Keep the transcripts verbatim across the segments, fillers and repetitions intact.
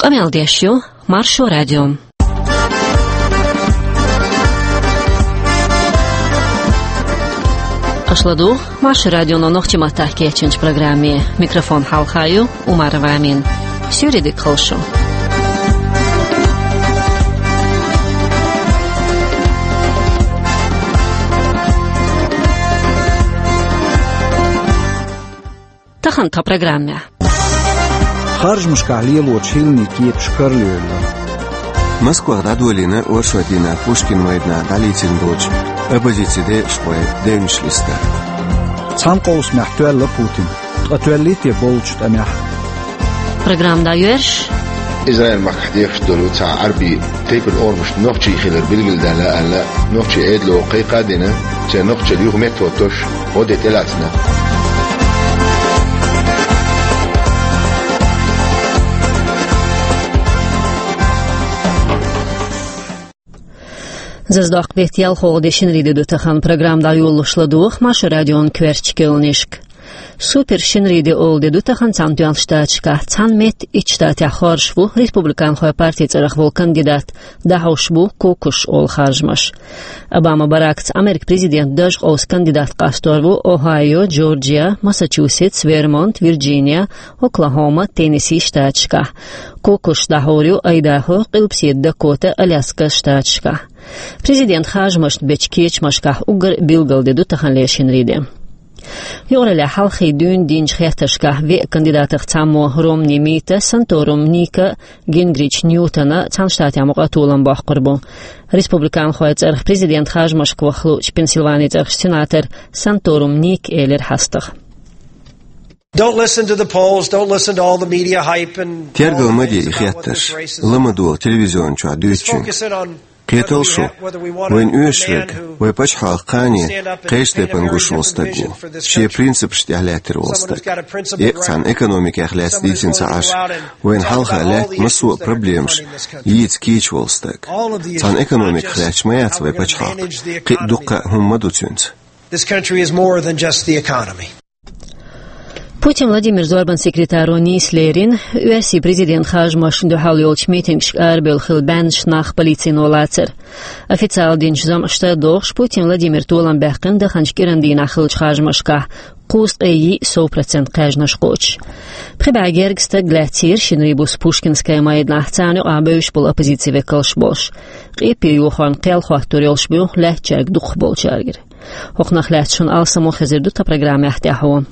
Къамел деш ю Маршо радио. Аша ладугӀу Маршо радионо нохчийн маттахь кечйинчу программе. Микрофон хьалха ю Умарова Амина. Суьйре дика хуьлда шун. Тахана тхан программехь. Харжамашкахь лелочу хӀилланийн кепаш карла йолу. Москвахь дӀадолийна оршотан дийнахь Пушкин майданахь дӀалецна болчу оппозицин декъашхойн девнаш листа. Цхьана къовсамехь тоьлла Путин, ткъа тоьллий те боллучу тӀамехь? Программа дӀайоьрзуш. Израиль-махкахь дехаш долу цхьа Ӏаьрбийн тайпана орамаш нохчийн хилар билгалдаьлла аьлла, нохчийн Ӏедало кхайкха а дина, церан нохчалла юха меттахӀоттош гӀо де тӀелаьцна. Зазадоккху беттан ялхолгӀа де, шинарин де ду тахана. Программа дӀайолалуш ладугӀу Маршо радион коьртачу керланашка. Супер шинарин де олу де ду тахана Цхьаьнатоьхначу Штаташкахь. Цхьана меттан итт штатехь хоржуш ву республиканхойн партин цӀарах волу кандидат, дӀахьош бу Кукуш олу харжамаш. Обама Баракца Америкин президентан дажа къовса кандидат къастор ву Охайо, Джорджия, Массачусетс, Вермонт, Вирджиния, Оклахома, Теннесси штаташкахь. Кукуш дӀахьур ю Айдахо, Къилбаседа Дакота, Аляска штаташкахь. Президентан харжамашна бечу кечамашкахь уггар а билггал де ду таханлера шинарин де. Юкъараллехь хьалххе дуьйна динчу хеттаршкахь веа кандидатех цхьаммо, Ромни Мита, Санторум Ника, Гингрич Ньютона, Цхьаьнатоьхначу Штатехь мукъа а толам боккхур бу. Республиканхойн цӀарах президентан харжамашка ваха луучу Пенсильванин цӀарахчу сенатора Санторум Ника элира хьастагӀа. Don't listen to the polls, don't listen to all the media hype and Тергал ма де и хеттарш, ла ма долу телевизион чохь дуьйцучуьнга. Кхеталаш шу, вайна оьшуш верг вайн пачхьалкхан кхане кхечу тайпана гуш волу стаг ву, шен принципашна тӀехь лаьттина волу стаг. Еккъа цхьана экономикех лаьцна дийцина ца Ӏаш, вайна хьалха лаьтта массо а проблемаш йийца кийча волу стаг. Цхьана экономиках лаьтташ ма яц вайн пачхьалкх, кхин а дуккха а хӀума ма ду цуьнца. This country is more than just the economy. Путин Владимиран зорбанан секретаро нийса лерина Оьрсийн президентан харжамашна дуьхьал йолчу митингашка арабевлла хилла баьннаш, нах полицино лацар. Официалан динчу заманашца догӀуш, Путин Владимира толам баьккхина даханчу кӀиран дийнахь хиллачу харжамашкахь кхузткъе йиъ сов процент кхаьжнаш кхочуш. Пхи бӀе гергга стаг лаьцнера шинарин буса Пушкинская майданахь, царна юкъахь бевзаш болу оппозицин векалш болуш. Къепе йохорна кхел хӀоттор йолуш бу лаьттачаьрга дукхахболчаьргара. ХӀокхунах лаьцна шуна алсамо хезар ду тхан программехь тӀаьхьо.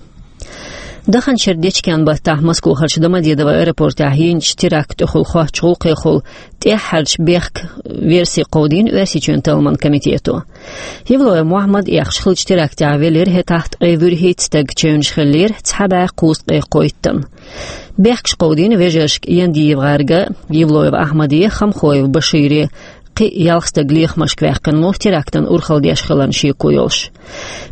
Даханчу шеран дечкен баттахь Москвахарчу Домодедово аэропортехь йинчу терактан тӀехула хоттучу гӀуллакхехула тӀаьххьарчу бехкан верси кховдийна Оьрсийчоьнан талламан комитето. Евлоев Мохьмад эккхаш хиллачу терактехь велира хӀетахь ткъе вуьрхӀитта стаг, чевнаш хиллера цхьа бӀе кхузткъе кхойттана. Бехкаш кховдийна вежаршка Яндиев ГӀарга, Евлоев Ахьмаде, Хамхоев Башире, кхин а ялх стаг лехамашка ваьккхина ву, терактан урхалла деш хиларна шеко йолуш.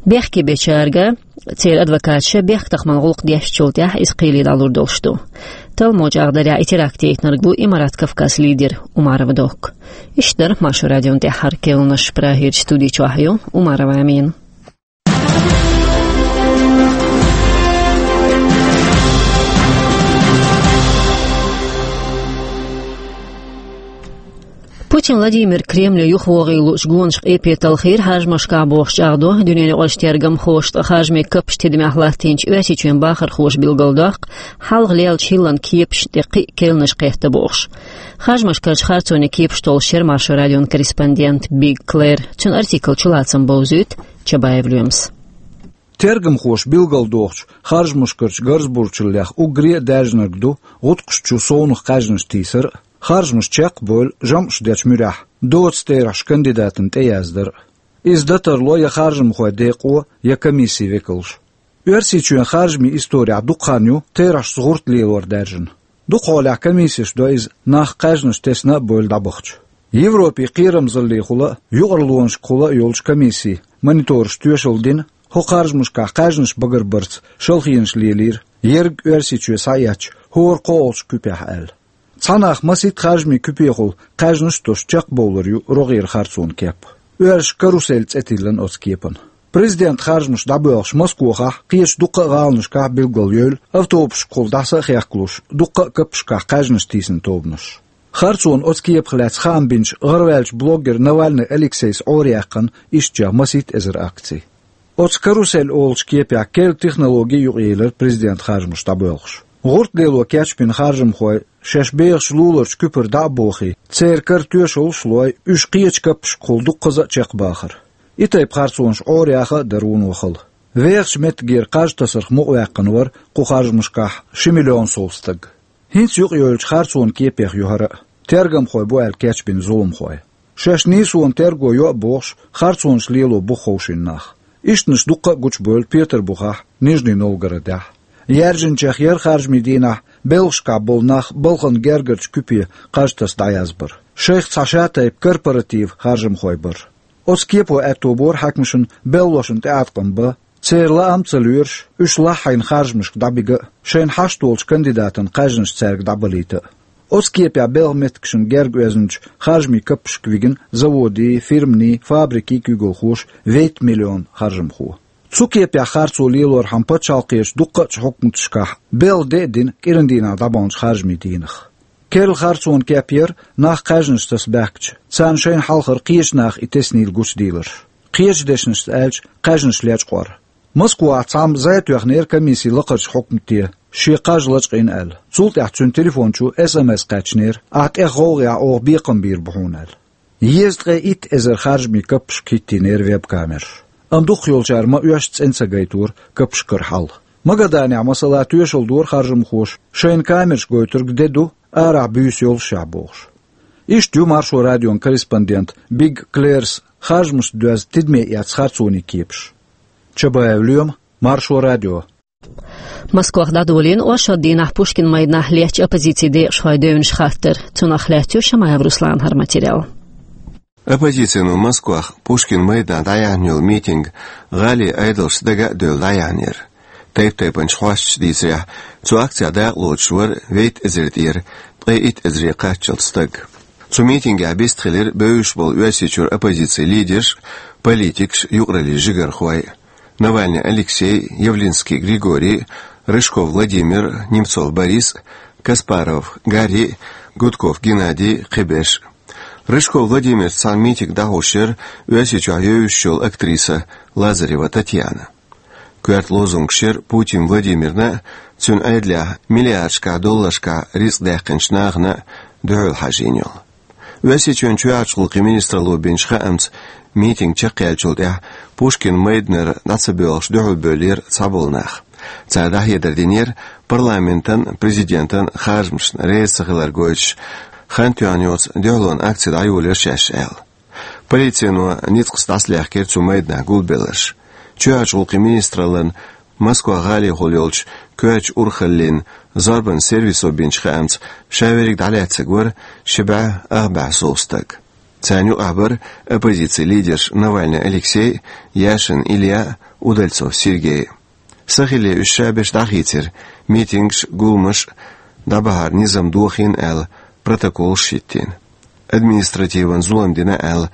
Бехке бечаьрга, церан адвокаташа, бехктакхаман гӀуллакх дешначул тӀаьхьа иза кхеле дӀалур долуш ду. Талламо чӀагӀдарехь, и теракт яйтинарг ву Имарат Кавказ лидер Умарова Докка. Иштта дара Маршо радион тӀаьххьара керланаш. Прагерчу студи чохь ю Умарова Амина. Путин Владимир Кремле юхавогӀийла луучу гонашка къепе талхийра харжамашкахь бохуш чӀагӀдо дуьненаюкъарчу тергамхоша, ткъа харжамийн каппаш тидамехь латтийначу Оьрсийчоьнан бахархоша билгалдоккху, хьалха лелачу хӀиллан кепашна тӀе кхин а керланаш кхетта бохуш. Харжамашкарчу харцонийн кепаш толлуш яра Маршо радион корреспондент Биг Клэр. Цуьнан артикл чулацам бовзуьйту Чабаев Лоьмас. Тергамхоша билгалдохучу харжамашкарчу гарзабурчаллех уггаре а даьржинарг ду гӀутакхаш чу совнаха кхаьжнаш тийсар а, харжамаш чекхбевлла жамӀаш дечу муьрехь доцу терахьаш кандидатана тӀеяздар а. Иза дан тарло я харжамхойн декъо, я комиссин векалш. Оьрсийчоьнан харжамийн исторехь дукха хан ю терахьашца гӀурт лелор даьржина. Дукхахьолехь комиссеш до иза, нах кхаьжнаш тесна а бевлла дӀабахча. Европин кхерамзаллехула а, юкъараллонашкахула а йолчу комиссийн монитораша тоьшалла дина хӀокху харжамашкахь кхаьжнаш багарбарца шалхонаш лелийра, ерриг Оьрсийчоь схьаэцча, хӀора кхоалгӀачу куьпехь аьлла. Цхьа нах масийтта харжамийн куьпехула кхаьжнаш а тосуш чекхбовлар ю рогӀера харцонан кеп. Оьрсаша карусель цӀе тиллина оцу кепана. Президент харжамаш дӀабоьлхуш Москвахь, кхечу дуккха а гӀаланашкахь билггал йевлла, автобусашкахула дӀаса а хехкалуш, дуккха а каппашкахь кхаьжнаш тийсина тобанаш. Харцонан оцу кепах лаьцна хаам бинчу гӀараваьллачу блогер Навальный Алексейс Ӏораяьккхина ишттачех масийтта эзар акций. Оцу «Карусель» олучу кепехь керла технологи юкъаелира президент харжамаш дӀабоьлхуш. ГӀуртдело кечбина харжамхой шаьш бехачу луларчу куьпара дӀа а бохий, церан кара тоьшаллаш а лой, уьш кхечу каппашкахула дуккхаза а чекхбахара. И тайпа харцонаш Ӏораяха а дара вуно хала. Вехачу меттигера кхаж тасарх мукъаваьккхина вара кху харжамашкахь ши миллион сов стаг. ХӀинца юкъайовлучу харцонан кепех ю хӀара а. Тергамхой бу аьлла кечбина зуламхой. Шаьш нийсонан терго йо а бохуш, харцонаш лело бу ховшийна нах. Ишттанаш дуккха а гучубевлла Петарбухахь, Нижний Новгородехь. Яьржинчех яра харжамийн дийнахь белхашкахь болу нах балхана гергарчу куьпе кхаж таса дӀаязбар. Шайх цхьа шатайпа корпоратив харжамхой бара. Оцу кепо аьтто бора хьаькамашна белхалошна тӀеӀаткъам бан, церан лаам а ца лоьруш, уьш лахьийна харжамашка дӀабига а, шайна хьашт долчу кандидатан кхаьжнаш цаьрга дӀабалийта а. Оцу кепехь белхан меттигашна герга оьзначу харжамийн каппашка вигина заводийн, фирманийн, фабрикийн куьйгалхоша вейтта миллион харжамхо. Цу кепехь харцо лелорхьама пачхьалкхерчу дуккхачу хьукматашкахь белхан де а дина кӀиран дийнахь дӀабаханчу харжамийн дийнах. Керла харцонан кеп яра нах кхаьжнаш таса баьхкича, царна шайна хьалхара кхечу наха и теснийла гучудийларш. Кхечу дешнашца аьлча, кхаьжнаш лечкъор. Москвахь цхьамма зӀе тоьхнера комиссин лакхарчу хьукмате, шен кхаж лачкъийна аьлла. Цул тӀаьхьа цуьнан телефон чу эс эм эс кхаьчнера: «Ахь тӀех гӀовгӀа яхь, оха бекхам бийр бу хьуна», — аьлла. Езткъе итт эзар харжамийн каппашка хӀиттийнера веб-камераш. Амма дукхахйолчара ма-оьшшу цӀена ца гайтора каппашкара хьал. Магаданехь, масала, тоьшалла дора харжамхоша, шайна камераш гойтург де ду, арахь буьйса йолушехь бохуш. Иштта ю Маршо радион корреспондент Биг Клерс харжамашна доьзна тидаме эцна харцонийн кепаш. Чабаев Лоьма, Маршо радио. Москвахь дӀадолийна оршот дийнахь Пушкин майданахь леттачу оппозицин декъашхойн девнаш хаттар. Цунах лаьцна ю Шамаев Русланан хӀара материал. Оппозицино Москвахь Пушкин майданахь дӀаяьхьна йолу митинг гӀалин Ӏедалшца дага а девлла дӀаяьхьнера. Тайп-тайпанчу хьосташа дийцарехь, цу акцехь дакъалоцуш вара вейтта эзар тӀера ткъе итт эзаре кхаччалц стаг. Цу митингехь вистхилира бевзаш болу Оьрсийчуьра оппозицин лидерш, политикаш, юкъараллин жигархой: Навальный Алексей, Явлинский Григорий, Рыжков Владимир, Немцов Борис, Каспаров Гарри, Гудков Геннадий, кхиберш. Рыжков Владимирца цхьаьна митинг дӀахьош яра Оьрсийчохь евзаш йолу актриса Лазарева Татьяна. Коьрта лозунгаш яра Путин Владимирна а, цуьнан Ӏедалехь миллиардашкахь долларшкахь рицкъ даьккхинчу нахана а дуьхьал хьажийна йолу. Оьрсийчоьнан чоьхьарчу гӀуллакхийн министралло бинчу хаамца, митинг чекхъяьллачул тӀаьхьа Пушкин майданара дӀа ца боьлхуш дуьхьалбевллера цхьаболу нах. Цара дӀахьедар динера парламентан, президентан харжамашна реза ца хилар гойтуш, хан тоьхна йоцу дуьхьалонан акци дӀайолийра шаьш аьлла. Полицино ницкъаца дӀасалаьхкира цу майданахь гулбелларш. Чоьхьарчу гӀуллакхийн министраллан Москва гӀалахула йолчу коьртачу урхаллин зорбанан сервисо бинчу хаамца, ша верриг дӀалаьцнарг вара ши бӀе ах бӀе сов стаг. Царна юкъахь бара оппозицин лидерш Навальный Алексей, Яшин Илья, Удальцов Сергей. Сахилле уьш шаберш дӀахийцира, митингаш, гуламаш дӀабахьар низам дохийна аьлла, протоколаш хӀиттийна. Административан зулам дина аьлла,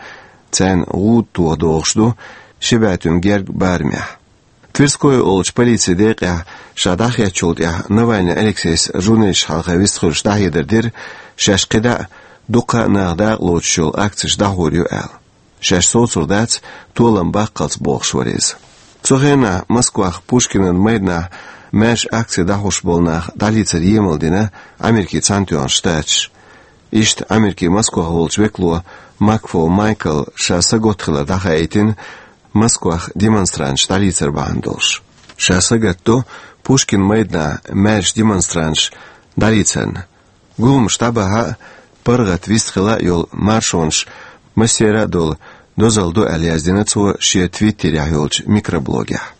царна гӀуда тоха догӀуш ду ши бӀе туьма герга барамехь. Тверской олучу полицин декъехь ша дӀахецначул тӀаьхьа Навальный Алексейс журналисташна хьалха вистхуьлуш дӀахьедар дира, шаьш кхидӀа а, дуккха а наха дакъалоцуш йолу акцеш дӀахьур ю аьлла. Шаьш соцур дац, толам баккхалц бохуш вара иза. Цу хенахь Москвахь Пушкинан майданахь маьрша акци дӀахьош болу нах дӀалецар емал дина Америкин Цхьаьнатоьхна Штаташа. Иштта Америкин Москвахь волчу векало Макфол Майкла ша сагатта хилар дӀахаийтина Москвахь демонстранташ дӀалецар бахьана долуш. Ша сагатдо Пушкин майданахь маьрша демонстранташ дӀалецарна. Гуламаш дӀабахьа а, паргӀат вистхила а йолу маршонаш массеран а долу дозалла ду аьлла яздина цо шен твиттерехь йолчу микроблогехь.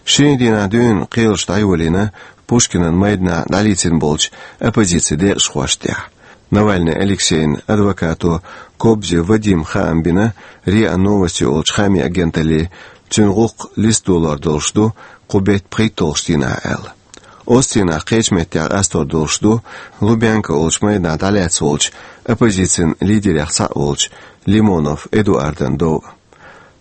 Шинарин дийнахь дуьйна кхелаш дӀайолийна Пушкинан майданахь дӀалецна болчу оппозицин декъашхошна тӀехь. Навальный Алексейн адвокато Кобзев Вадима хаам бина РИА Новости олучу хаамийн агенталле, цуьнан гӀуллакх листа долор долуш ду кху беттан пхийтталгӀачу дийнахь аьлла. Оцу дийнахь кхечу меттехь къастор долуш ду Лубянка олучу майданахь дӀалаьцна волчу оппозицин лидерех цхьаъ волчу Лимонов Эдуардан дов.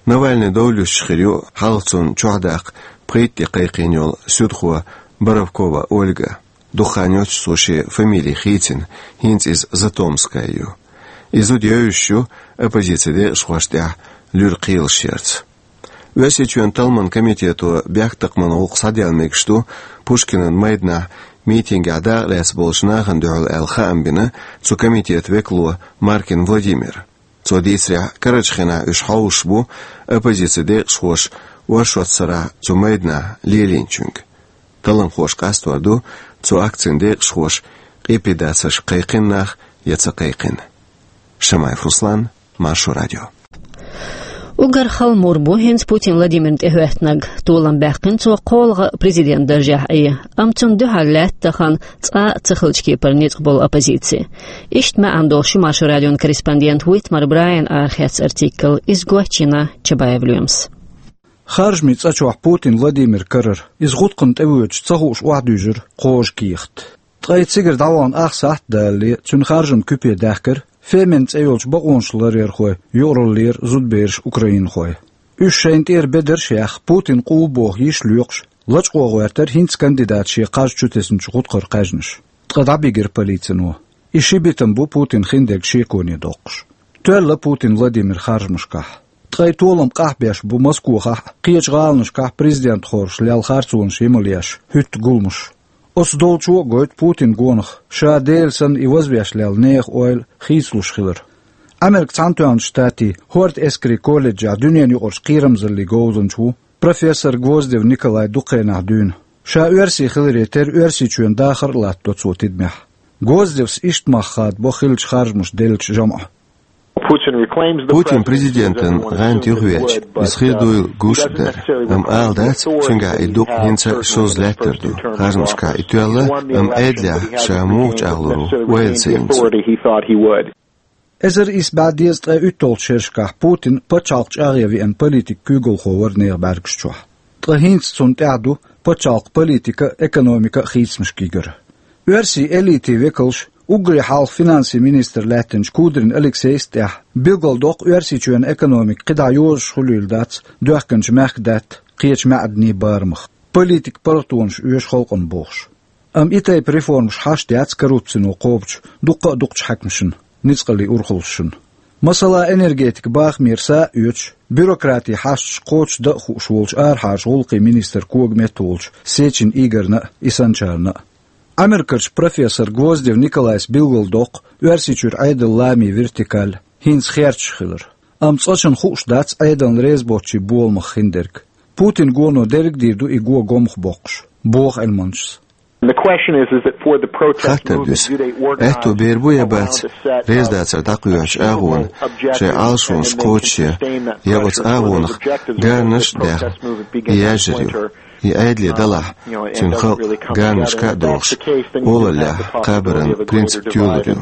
Навальный довлуш хир ю хьалха цунна чохь даккха пхийтта де кхайкхийна йолу суьдхо Боровкова Ольга. Дукха хан йоццуш цо шен фамили хийцина, хӀинца иза Затомская ю. И зуда евзаш ю оппозицин декъашхошна тӀехь луьра кхелаш ярца. Оьрсийчоьнан талламан комитето бехктакхаман гӀуллакх схьаделла мегаш ду Пушкинан майданахь митингехь дакъа лаьцна болчу нахана дуьхьал аьлла хаам бина цу комитетан векало Маркин Владимира. Цо дийцарехь, карарчу хенахь уьш хьовсуш бу оппозицин декъашхоша оршот сарахь цу майданахь лелийначуьнга. Талламхоша къастор ду цу акцин декъашхоша къепедацаршка кхайкхина нах я ца кхайкхина. Шамаев Руслан, Маршо радио. Уггар хала мур бу хӀинца Путин Владимирна тӀехӀоьттинарг. Толам баьккхина цо кхоалгӀа президентан даржехь Ӏе, амма цунна дуьхьал лаьтта тахана цкъа а ца хиллачу кепара ницкъ болу оппозици. Иштта маьӀна долуш ю Маршо радион корреспондент Уитмар Брайан арахецна артикл, иза гочйина Чабаев Лоьмас. Харжамийн цӀа чохь Путин Владимир карара, иза гӀутакхана тӀевоьдуш ца хууш охьадуьйжира кхожа кехат. Ткъа и цигара дӀавахана ах сахьт далале, цуьнан харжаман куьпе даьхкира фемина цӀе йолчу бакъонашларъярхойн юкъараллера зудабераш украинхой. Уьш шайна тӀера бедарш а яьхна, Путин къулбоху йиш лоькхуш, лачкъо гӀоьртира хӀинца кандидата шен кхаж чу тесначу гӀутакхара кхаьжнаш. Ткъа дӀабигира полицино. И ши битам бу Путина хиндерг шеконе доккхуш. Тоьлла Путин Владимир харжамашкахь. Ткъа и толам къахьбеш бу Москохахь а, кхечу гӀаланашкахь президентхоша лелла харцонаш йималъеш хӀуьтту гуламаш. Оцу долчо а гойту Путинан гонах, ша Дела санна и вазвеш лелла нехан ойла хийцалуш хилар. Американ Цхьаьнатоьхначу Штатийн хӀорда эскарийн колледжехь дуьненаюкъарчу кхерамзаллин говзанча ву профессор Гвоздев Николай дукха хенахь дуьйна. Ша оьрси хиларе терра Оьрсийчоьнан дахар а латтадо цо тидамехь. Гвоздевс иштта мах хадабо хиллачу харжамаша деллачу жамӀа. Путин президентан гӀанта юхавеача, иза хир дуйла гуш а дара, амма ала дац, цуьнгахь и дукъ хӀинца а шозза лаьттар ду. Харжамашкахь и тоьлла, амма Ӏедалехь ша муха чӀагӀлур ву, ойла ца йинчу. Эзар исс бӀе дезткъе уьтталгӀачу шерашкахь Путин пачхьалкх чӀагӀъян веана политикан куьйгалхо вара нехан бӀаьргаш чохь. Ткъа хӀинца цунна тӀехь ду пачхьалкхан политика а, экономика а хийцамашка йигар. Оьрсийн элитин векалш, уггаре хьалха финансийн министр лаьттинчу Кудрин Алексейс а тӀехь, билгалдоккху Оьрсийчоьнан экономика кхидӀа йозуш хуьлийла дац доьхкинчу мехкдаьтта, кхечу маьӀданийн барамах, политикан паргӀатонаш оьшу халкъана бохуш. Амма и тайпа реформаш хьашт яц коррупцино кхобучу дуккха а дукхачу хьаькамашна, ницкъаллин урхаллашна. Масала, энергетикан бахамера са а оьцуш, бюрократин хьашташ кхочушдан а хууш волчу арахьарчу гӀуллакхийн министран кога метта волчу Сечин Игорьна а, и санначарна а. Америкерчу профессор Гвоздев Николайс билгалдоккху Оьрсийчуьра Ӏедалан ламийн вертикаль хӀинца херчаш хилар. Амма цкъачунна хууш дац Ӏедална реза боцчийн боламах хиндерг. Путинан гоно дерриг а дийр ду и го гомах боккхуш, боху Ӏилманчас. Хаттар дуьсу: аьтто бер бу я бац резадацар дӀакхоьхьучу агӀона шайн Ӏалашонаш кхочушъян, я оцу агӀонах гаранаш а даьхна, и яьржар ю? И Ӏедале далахь, цуьнан халкъ гаранашка а дохуш, олаллехь кхабаран принцип тоьлур ю.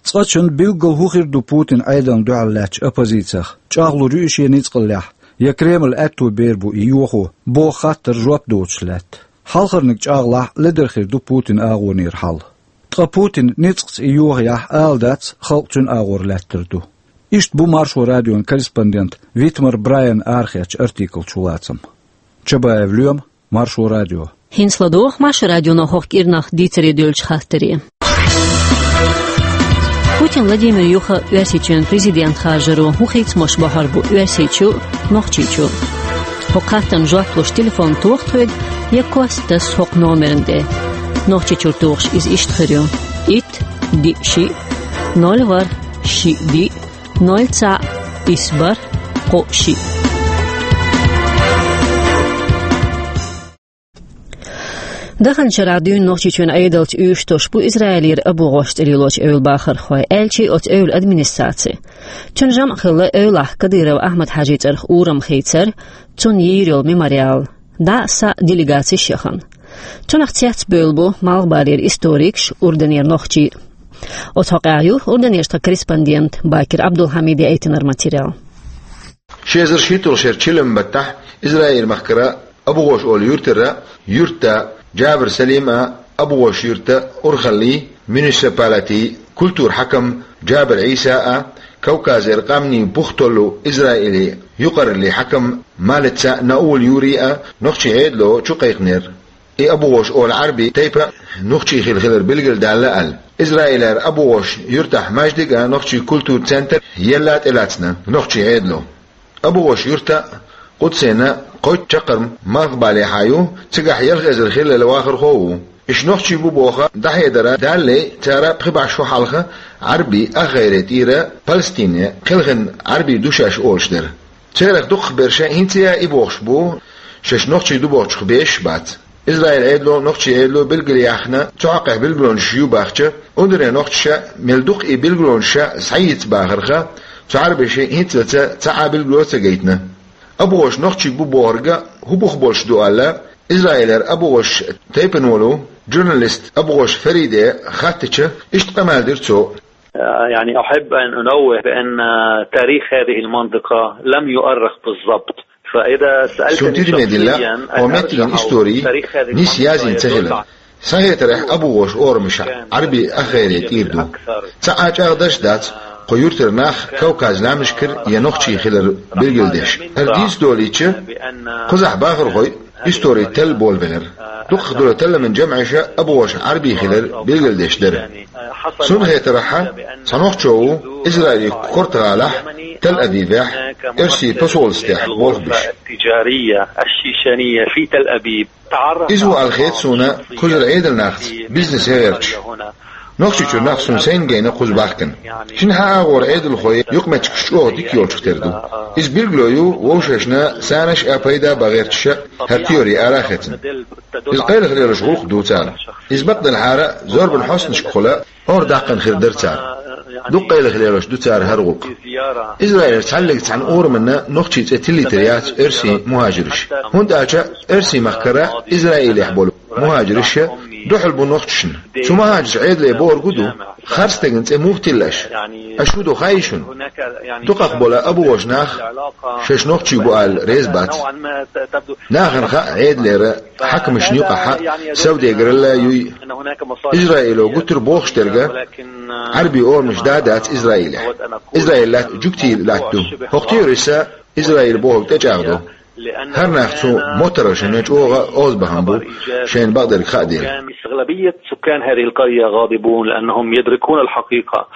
Цкъачунна билггал хӀун хир ду Путинан Ӏедална дуьхьал лаьттачу оппозицех? ЧӀагӀлур ю и шен ницкъаллехь, я Кремлан аьтто бер бу и йохо, боху хаттарна жоп доцуш лаьтта? Хьалхарниг чӀагӀлахь, ледара хир ду Путинан агӀонера хьал. Ткъа Путин ницкъаца и йохаяхь, ала дац, халкъ цуьнан агӀор лаьттар ду. Иштта бу Маршо радион корреспондент Витмар Брайан арахецначу артиклан чулацам. Чабаев Лоьма, Маршо радио. ХӀинца ладогӀа Маршо радионо хӀокху кӀирнах дийцаре дуьллучу хаттаре. Путин Владимир юха Оьрсийчоьнан президент харжаро хӀун хийцамаш бохьур бу Оьрсийчу а, Нохчийчу а? ХӀокху хаттарна жоп луш телефон тоха тхоьга, я кост таса хӀокху номерна тӀе. Нохчийчуьра тухуш иза иштта хир ю: итт, диъ, шиъ, ноль, ворхӀ, шиъ, диъ, ноль, цхьаъ, исс, бархӀ, кхоъ, шиъ. Даханчу шарахь дуьйна Нохчийчоьнан Ӏедалца уьйш тосуш бу Израилера АбугӀош тӀе лелочу эвла бахархой, аьлча а оцу эвлан администраци. Цуьнан жамӀ хилла эвлахь Кадыров Ахьмад-Хьаьжин цӀарах урам хийцар, цунна йийр йолу мемориал. ДӀа а, схьа а делегацеш яхана. Цунах цецбевлла бу Малхбалера историкаш, Урданера нохчий. Оцу хьокъехь ю Урданерчу тхан корреспондент Бакир Абдулхьамида яийтинарг материал. Ши эзар шийтталгӀачу шеран чиллан баттахь Израиль-махкара АбугӀош олу юьртара юьртда Джабар Салим а, АбугӀош-Юьртан урхаллин муниципалитетан культуран хьаькам Джабар Ӏийса а, Кавказера къаьмнийн пух толлу Израиле юкъараллин хьаькам Малица Наул Юри а нохчийн Ӏедало чу кхайкхинера. И Абу-гӀош олу Ӏарби тайпа нохчийн хилла хилар билгалдалла аьлла. Израилера Абу-гӀош юьртахь маьждиг а, нохчийн культурин центр елла тӀелаьцна нохчийн Ӏедало. Абу-гӀош юьртахь а, Къудсехь а кхойтта чаккхарма малхбалехьа ю, цигахь ялх эзар хиллал вахархо а ву. Уьш нохчий бу боху дӀахьедар далале, цара пхи бӀе шо хьалха Ӏарби ахгӀайре тӀера Палестине кхелхина Ӏарби ду шаьш олуш дара. Церах дукхахберш хӀинца а и бохуш бу, шаьш нохчий ду бохучух бешаш бац. Израиль Ӏедало, нохчийн Ӏедало билгал яьхна, цу хьокъехь билгалонаш ю бахча, урдуне нохчаша мел дукха и билгалонаш схьаийца бахарх, цу Ӏарбаша хӀинцалц цхьа а билгало ца гайтина. Абу-гӀош нохчий бу бохург хӀун бух болуш ду аьлла, Израилера Абу-гӀош тайпана волу журналист Абу-гӀош Фариде хаьттича, иштта къамел дира цо. يعني، أحب أن أنوه بأن تاريخ هذه المنطقة لم يؤرخ بالضبط. فإذا سألتني Суна тидаме дилла, хӀокху меттиган истори нийса язйина ца хилла. Сан хетарехь, Абу-гӀош орамаш Ӏарби ахгӀайре тӀера ду. Цхьа а чӀагӀдарш дац кху юьртара нах Кавказан лаьмнашкара я нохчий хилар билгалдеш. ХӀара дийца долийча, кхузахь бахархой истори талла болабелира. Дукхахдолу талламан жамӀаш Абу-гӀош Ӏарби хилар билгалдеш дара. Суна хетарехь, цхьа нохчо ву Израилан коьрта гӀалахь, Тель-Авивехь, оьрсийн посольствехь болх беш. التجارية الشيشانية في تل أبيب. Иза ву аьлла хета суна кхузара Ӏедалнахца бизнесе гӀерташ. Нохчийчуьра нах суна сайна гайна кхуза бахкана. Шина хьан агӀор Ӏедалхой юкъаметтигаш чӀогӀа дика йолчух тера ду. Иза билгало ю вовшашна санаш а, пайда а бан гӀерташ а хӀара теори ара а хецна. Иза къайлаха лелош гӀуллакх ду цара. Иза бакъдерг хӀара зорбан хьостанашкахула ора даккхана хир дара цара. Дукха къайлаха лелош ду цара хӀара гӀуллакх. Израилера цхьаллиг цхьана орамна нохчийн цӀе тиллийтар яц оьрсийн мухӀажирш. ХӀунда аьлча оьрсийн махкара Израилехь болу мухӀажирш дуьхьал бу нохчашна. Цу мухӀажирш Ӏедале бохург хӀун ду: харцдерг цӀе муха тилла аша? Аша хӀун ду хаий шуна? Дукхах болу Абу-гӀош нах шаьш нохчий бу аьлла реза бац. Нахана хаьа Ӏедалера хьаькамашна юкъахь а саудегаралла юй. Израило гуттар а бохуш дерг а, Ӏарби орамаш да а дац Израилехь. Израил латта жуьгтийн латта ду. ХӀокху теорица Израил бохург тӀечӀагӀдо. ХӀара нах цу моттаргӀашна чӀогӀа озабахана бу, шайна бакъдерг хаа дела. أغلبية سكان هذه القرية غاضبون لأنهم يدركون الحقيقة.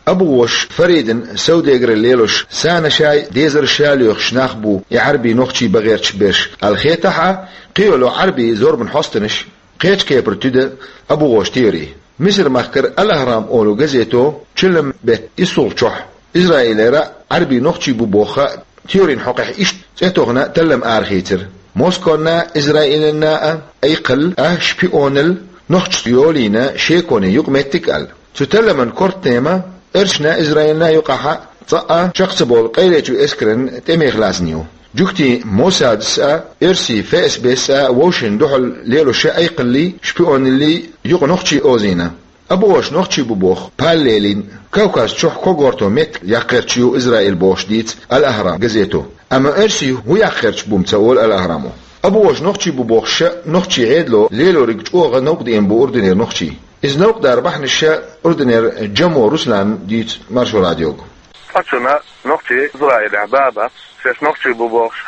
Абу-гӀош Фаридан саудегаралла лелош санаш а, дезарш а лоьхуш нах бу и Ӏарби нохчий бан гӀерташ берш аьлла хетахь а, кхин йолу Ӏарби зорбан хьостанаш кхечу кепара туьду Абу-гӀош теори. Мисар-махкара Ал-Ахрам олу газето чиллан беттан иссалгӀачохь Израилера Ӏарби нохчий бу боху теорин хьокъехь иштта цӀе тохна таллам арахийцира: Москонна а, Израилна а айкхалла а, шпионалла а нохчашца йолийна шеконе юкъаметтиг аьлла. Цу талламан корта тема оьрсашна а, Израилна а юкъахь а цкъа а чекх ца болу къайлечу эскаран тӀемех лаьцна ю. Жуьгтийн Моссадас а, оьрсийн ФСБ-с а вовшашна дуьхьал лелош айкхаллий, шпионаллий юкъа нохчий озийна. Абу-гӀош нохчий бу боху пал лелийна, Кавказ чохь когорто меттиг яккха гӀерташ ю Израил бохуш дийца Ал-Ахрам газето. Амма оьрсий хӀун яккха гӀерташ бу-м ца олу Ал-Ахрамо. Абу-гӀош нохчий бу бохуш а нохчийн Ӏедало лелориг чӀогӀа новкъа деана бу Урдунера нохчий. Иза новкъа дар бахьанаш а Урдунера Джамо Руслана дийцира Маршо радиога. Цкъачунна нохчий Израилехь бан бац, шаьш нохчий бу бохуш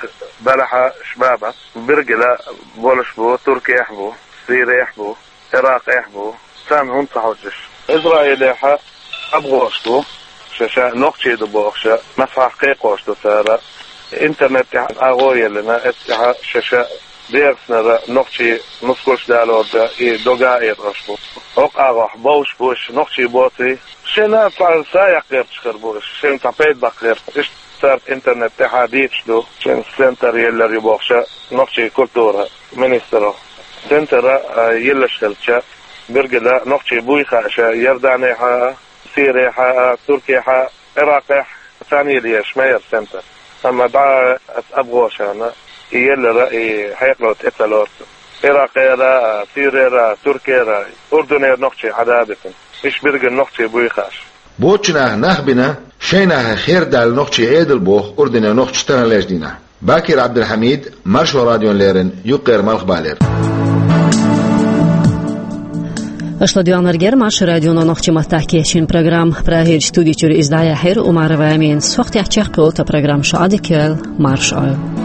белахь а бан бац. Биргила болуш бу, Туркехь бу, Сирехь бу, Иракъехь бу, царна хӀунда ца хьожуш? Израилехь а Абу-гӀош бу, шаьш нохчий ду бохуш а, масхьахь кхайкхош ду цара. Интернет тӀехь агӀо а еллина, эццахь шаьш дегӀаснара нохчий нускалш далор дан и дога а эцош бу. ХӀокху агӀохь бовш бу уьш нохчий боций? Шайна цхьа са яккха гӀерташ хир бу уьш, шайна цхьа пайда баккха гӀерта. Иштта цара интернет тӀехь а дийцаш ду, шайн центр еллар ю бохуш а нохчийн культуран министро. Центр а йиллаш хилча, биргила нохчий буй хууш а, Иорданехь а, Сирехь а, Туркехь а, Иракъехь а царна йилла езаш ма яра центр. Амма дӀа аса Абу-гӀошана и еллар а, и хьекъало тӀе ца лоцу. Иракъера а, Сирера а, Туркера а, Урдунера нохчий Ӏадабитина. Уьш биргина нохчий буй хууш. Боцчу наха нах бина, шайн нахах хер даьлла нохчий Ӏедал боху Урдунера нохчаша таханлерчу дийнахь. Бакир Ӏабдулхьамид, Маршо радиона леррина, Юккъера Малхбалера. Шо доагӀандаь Маршо радионо нохчийн маттахь кечйина программа. Прагерчу студи чуьра иза дӀаяьхьира Умарова Аминас. Хьо тӀехь чекхйолу тхан программа, шу Ӏадика йойла, марша Ӏойла.